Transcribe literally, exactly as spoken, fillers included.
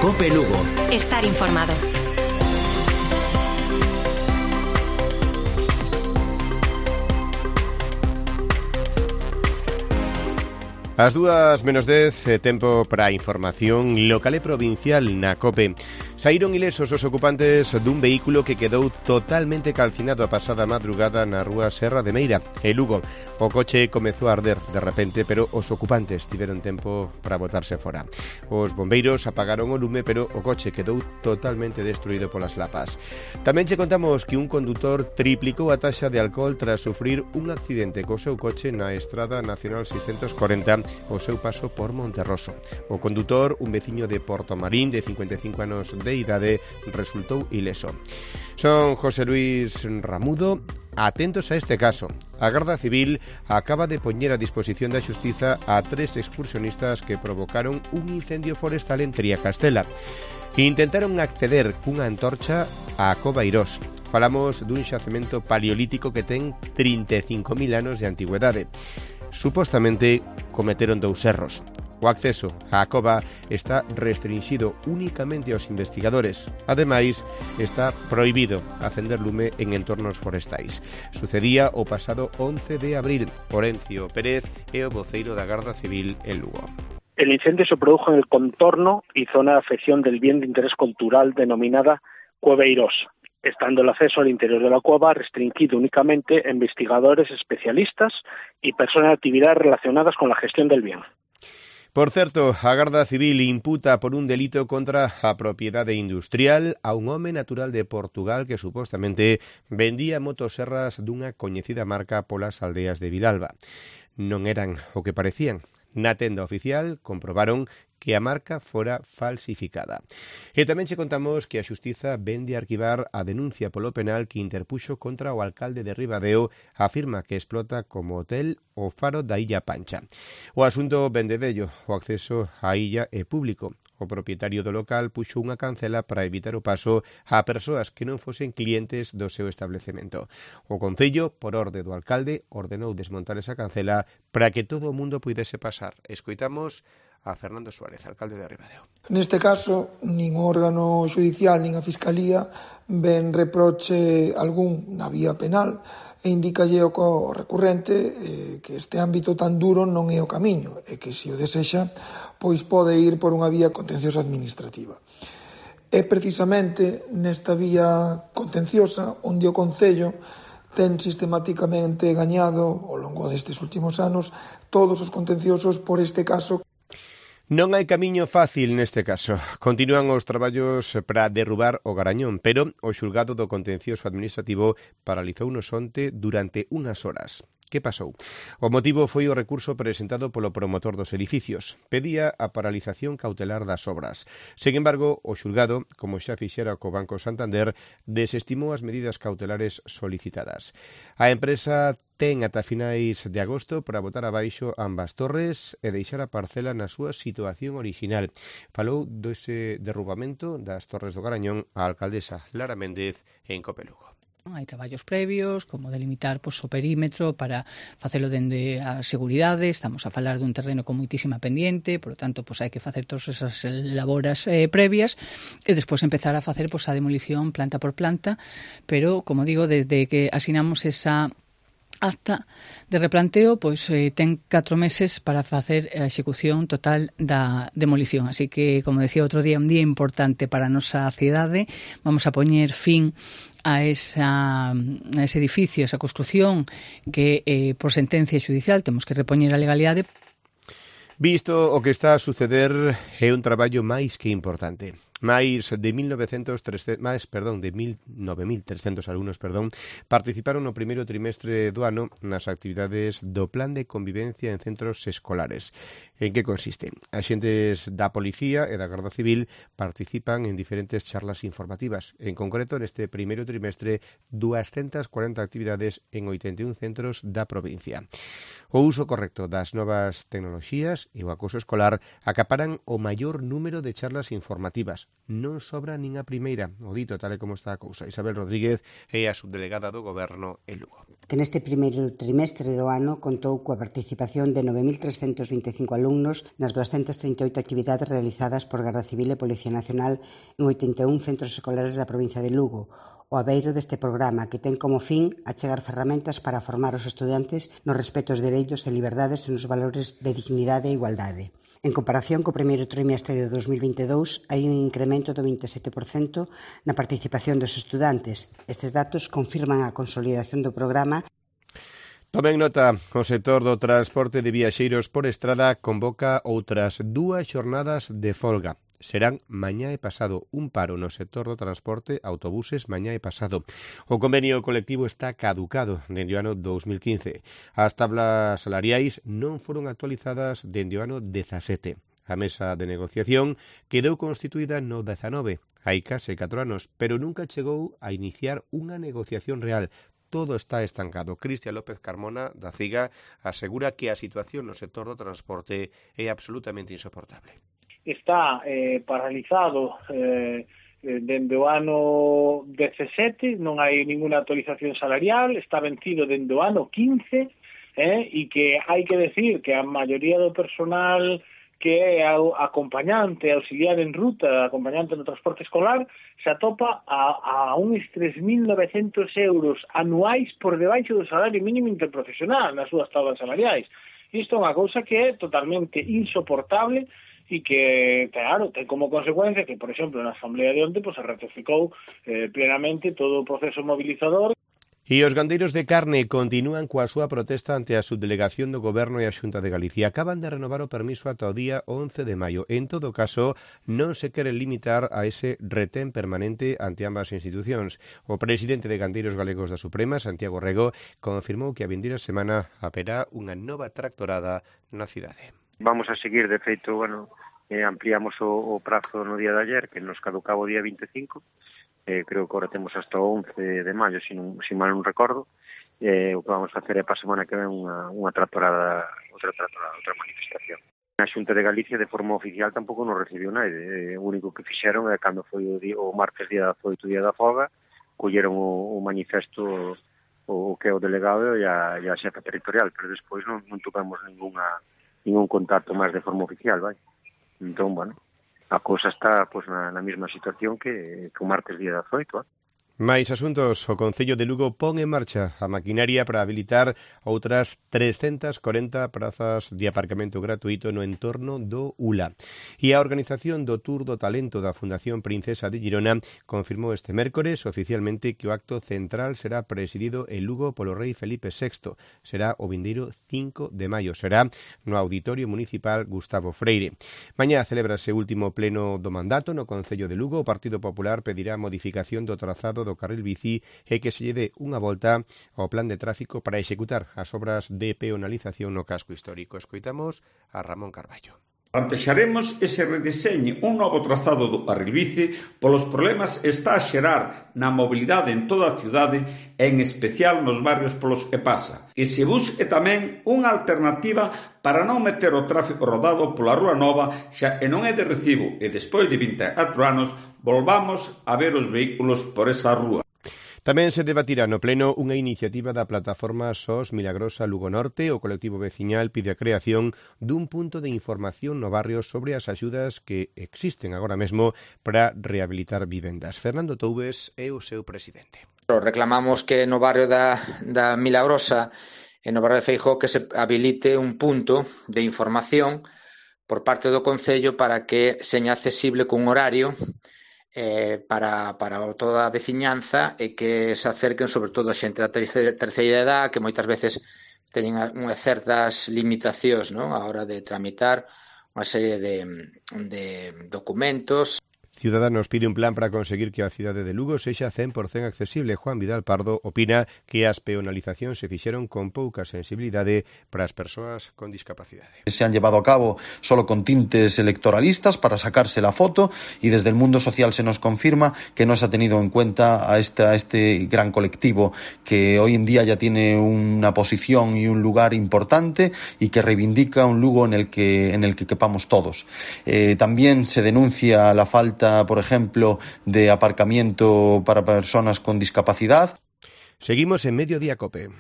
COPE Lugo. Estar informado. As dúas menos dez, tempo para a información local e provincial na COPE. Saíron ilesos os ocupantes dun vehículo que quedou totalmente calcinado a pasada madrugada na rúa Serra de Meira, en Lugo. O coche comezou a arder de repente, pero os ocupantes tiveron tempo para botarse fora. Os bombeiros apagaron o lume, pero o coche quedou totalmente destruído polas lapas. Tamén che contamos que un condutor triplicou a taxa de alcohol tras sufrir un accidente co seu coche na Estrada Nacional seiscentos corenta o seu paso por Monterroso. O condutor, un veciño de Portomarín de cincuenta e cinco anos de idade, resultou ileso. Son José Luis Ramudo. Atentos a este caso. A Garda Civil acaba de poñer a disposición da Xustiza a tres excursionistas que provocaron un incendio forestal en Triacastela. Intentaron acceder cunha antorcha á Cova Irós. Falamos dun xacemento paleolítico que ten trinta e cinco mil anos de antigüedade. Supostamente cometeron dous erros. O acceso á cova está restringido únicamente aos investigadores. Ademais, está prohibido acender lume en entornos forestais. Sucedía o pasado once de abril. Orencio Pérez é o voceiro da Garda Civil en Lugo. El incendio se produjo en el contorno y zona de afección del bien de interés cultural denominada Cueva Irós, estando el acceso al interior de la cueva restringido únicamente a investigadores especialistas y personas de actividades relacionadas con la gestión del bien. Por certo, a Garda Civil imputa por un delito contra a propiedade industrial a un home natural de Portugal que supostamente vendía motoserras dunha coñecida marca polas aldeas de Vilalba. Non eran o que parecían. Na tenda oficial comprobaron que a marca fora falsificada. E tamén che contamos que a Xustiza vende a arquivar a denuncia polo penal que interpuxo contra o alcalde de Ribadeo, afirma que explota como hotel o faro da Illa Pancha. O asunto vende vello, o acceso á illa é público. O propietario do local puxo unha cancela para evitar o paso a persoas que non fosen clientes do seu establecemento. O Concello, por orde do alcalde, ordenou desmontar esa cancela para que todo o mundo puidese pasar. Escoitamos a Fernando Suárez, alcalde de Ribadeo. Neste caso, nin o órgano judicial nin a Fiscalía ven reproche algún na vía penal e indicalle ao recurrente eh, que este ámbito tan duro non é o camiño e que, se o desexa, pois pode ir por unha vía contenciosa administrativa. É precisamente nesta vía contenciosa onde o Concello ten sistematicamente gañado ao longo destes últimos anos todos os contenciosos por este caso. Non hai camiño fácil neste caso. Continúan os traballos para derrubar o garañón, pero o xulgado do contencioso administrativo paralizou no onte durante unhas horas. Que pasou? O motivo foi o recurso presentado polo promotor dos edificios. Pedía a paralización cautelar das obras. Sen embargo, o xulgado, como xa fixera co Banco Santander, desestimou as medidas cautelares solicitadas. A empresa ten ata finais de agosto para botar abaixo ambas torres e deixar a parcela na súa situación orixinal. Falou dese derrubamento das torres do Garañón a alcaldesa Lara Méndez en COPE Lugo. Hai traballos previos, como delimitar pois, o perímetro para facelo dende a seguridade. Estamos a falar dun terreno con moitísima pendiente, por lo tanto, pois, hai que facer todas esas laboras eh, previas e despois empezar a facer pois, a demolición planta por planta, pero, como digo, desde que asinamos esa acta de replanteo, pois eh, ten catro meses para facer a execución total da demolición. Así que, como decía outro día, un día importante para a nosa cidade. Vamos a poñer fin a, esa, a ese edificio, a esa construción que, eh, por sentencia judicial, temos que repoñer a legalidade. Visto o que está a suceder, é un traballo máis que importante. Máis de mil novecentos, máis, perdón, de nove mil trescentos alumnos, perdón, participaron no primeiro trimestre do ano nas actividades do Plan de Convivencia en Centros Escolares. En que consiste? Axentes da Policía e da Garda Civil participan en diferentes charlas informativas. En concreto, neste primeiro trimestre, doscientas cuarenta actividades en oitenta e un centros da provincia. O uso correcto das novas tecnoloxías e o acoso escolar acaparan o maior número de charlas informativas. Non sobra nin a primeira, o dito tal e como está a cousa. Isabel Rodríguez é a subdelegada do Goberno en Lugo. Que neste primeiro trimestre do ano contou coa participación de nove mil trescentos vinte e cinco alumnos nas doscientas trinta e oito actividades realizadas por Garda Civil e Policía Nacional en oitenta e un centros escolares da provincia de Lugo. O abeiro deste programa, que ten como fin achegar ferramentas para formar os estudantes nos respecto aos dereitos e liberdades e nos valores de dignidade e igualdade. En comparación co primeiro trimestre de dos mil vinte e dous, hai un incremento do vinte e sete por cento na participación dos estudantes. Estes datos confirman a consolidación do programa. Tomen nota, o sector do transporte de viaxeiros por estrada convoca outras dúas xornadas de folga. Serán mañá e pasado un paro no sector do transporte, autobuses, mañá e pasado. O convenio colectivo está caducado dende o ano dos mil quince. As tablas salariais non foron actualizadas dende o ano dezasete. A mesa de negociación quedou constituída no dezanove, hai case catro anos, pero nunca chegou a iniciar unha negociación real. Todo está estancado. Cristian López Carmona, da CIGA, asegura que a situación no sector do transporte é absolutamente insoportable. Está eh, paralizado eh, dende o ano dezasete, non hai ninguna actualización salarial, está vencido dende o ano quince, eh, e que hai que decir que a maioría do personal que é acompañante, auxiliar en ruta, acompañante no transporte escolar, se atopa a, a uns tres mil novecentos euros anuais por debaixo do salario mínimo interprofesional nas súas tablas salariais. Isto é unha cousa que é totalmente insoportable e que, claro, ten como consecuencia que, por exemplo, na Asamblea de onte, pues, se ratificou eh, plenamente todo o proceso mobilizador. E os gandeiros de carne continúan coa súa protesta ante a subdelegación do Goberno e a Xunta de Galicia. Acaban de renovar o permiso ata o día once de maio. En todo caso, non se quere limitar a ese retén permanente ante ambas institucións. O presidente de Gandeiros Galegos da Suprema, Santiago Rego, confirmou que a vindeira semana haberá unha nova tractorada na cidade. Vamos a seguir, de feito, bueno, eh, ampliamos o, o prazo no día de ayer, que nos caducaba o día vinte e cinco, eh, creo que ahora temos hasta o once de maio, se non, si mal non recordo, eh, o que vamos a facer é para a semana que ven unha, unha tractorada, outra tractorada, outra manifestación. A Xunta de Galicia, de forma oficial, tampouco nos recibiu nada. Eh, o único que fixeron é cando foi o, día, o martes día dezaoito, día da folga, colleron o, o manifesto o, o que é o delegado e a, e a xefa territorial, pero despois non, non tocamos ninguna ningún contacto máis de forma oficial, vai. Entón, bueno, a cousa está pois, na, na mesma situación que, que o martes día dezaoito, eh? Mais asuntos, o Concello de Lugo pon en marcha a maquinaria para habilitar outras trescentas corenta prazas de aparcamento gratuito no entorno do U L A. E a organización do Tour do Talento da Fundación Princesa de Girona confirmou este mércores oficialmente que o acto central será presidido en Lugo polo rei Felipe sexto. Será o vindeiro cinco de maio. Será no Auditorio Municipal Gustavo Freire. Mañá celébrase o último pleno do mandato no Concello de Lugo. O Partido Popular pedirá modificación do trazado do carril bici e que se lle dé unha volta ao plan de tráfico para executar as obras de peonalización no casco histórico. Escoitamos a Ramón Carballo. Plantexaremos ese redeseño, un novo trazado do carril bici polos problemas está a xerar na mobilidade en toda a cidade e en especial nos barrios polos que pasa. E se busque tamén unha alternativa para non meter o tráfico rodado pola Rúa Nova xa e non é de recibo e despois de vinte e catro anos volvamos a ver os vehículos por esa rúa. Tamén se debatirá no pleno unha iniciativa da plataforma S O S Milagrosa Lugo Norte. O colectivo veciñal pide a creación dun punto de información no barrio sobre as axudas que existen agora mesmo para rehabilitar vivendas. Fernando Toubes é o seu presidente. Reclamamos que no barrio da, da Milagrosa e no barrio de Feijóo que se habilite un punto de información por parte do Concello para que seña accesible cun horario Eh, para, para toda a veciñanza e que se acerquen sobre todo a xente da terceira, terceira edad que moitas veces teñen unhas certas limitacións, non? A hora de tramitar unha serie de, de documentos. Ciudadanos pide un plan para conseguir que a cidade de Lugo sexa cen por cento accesible. Juan Vidal Pardo opina que as peonalizacións se fixeron con pouca sensibilidade para as persoas con discapacidade. Se han llevado a cabo solo con tintes electoralistas para sacarse la foto y desde el mundo social se nos confirma que no se ha tenido en cuenta a, esta, a este gran colectivo que hoy en día ya tiene una posición y un lugar importante y que reivindica un Lugo en el que, en el que quepamos todos. Eh, también se denuncia la falta, por ejemplo, de aparcamiento para personas con discapacidad. Seguimos en Mediodía COPE.